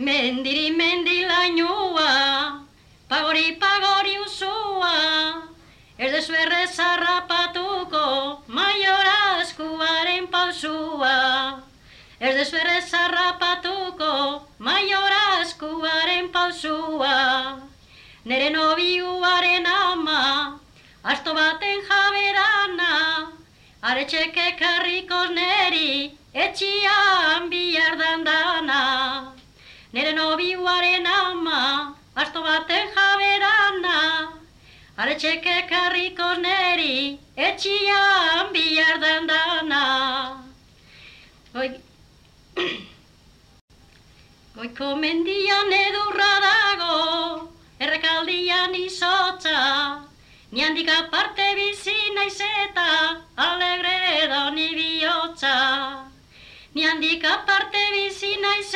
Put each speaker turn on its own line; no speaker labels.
Mendiri mendi lainua, pagori usua, ez dezu errez harrapatuko Maior Askuaren pausua. Ez dezu errez harrapatuko Maior Askuaren pausua. Nere nobiuaren ama, asto baten jaberana, aretxeke karrikoz neri, etxian bihar dandana. Nere nobiuaren ama, asto baten jaberana, aretxeke karrikoz neri, etxian bihar dandana. Goiko mendian edurra dago, errekaldian izotza, ni handik aparte bizi naiz eta alegre da ni bihotza. Ni handik aparte bizi naiz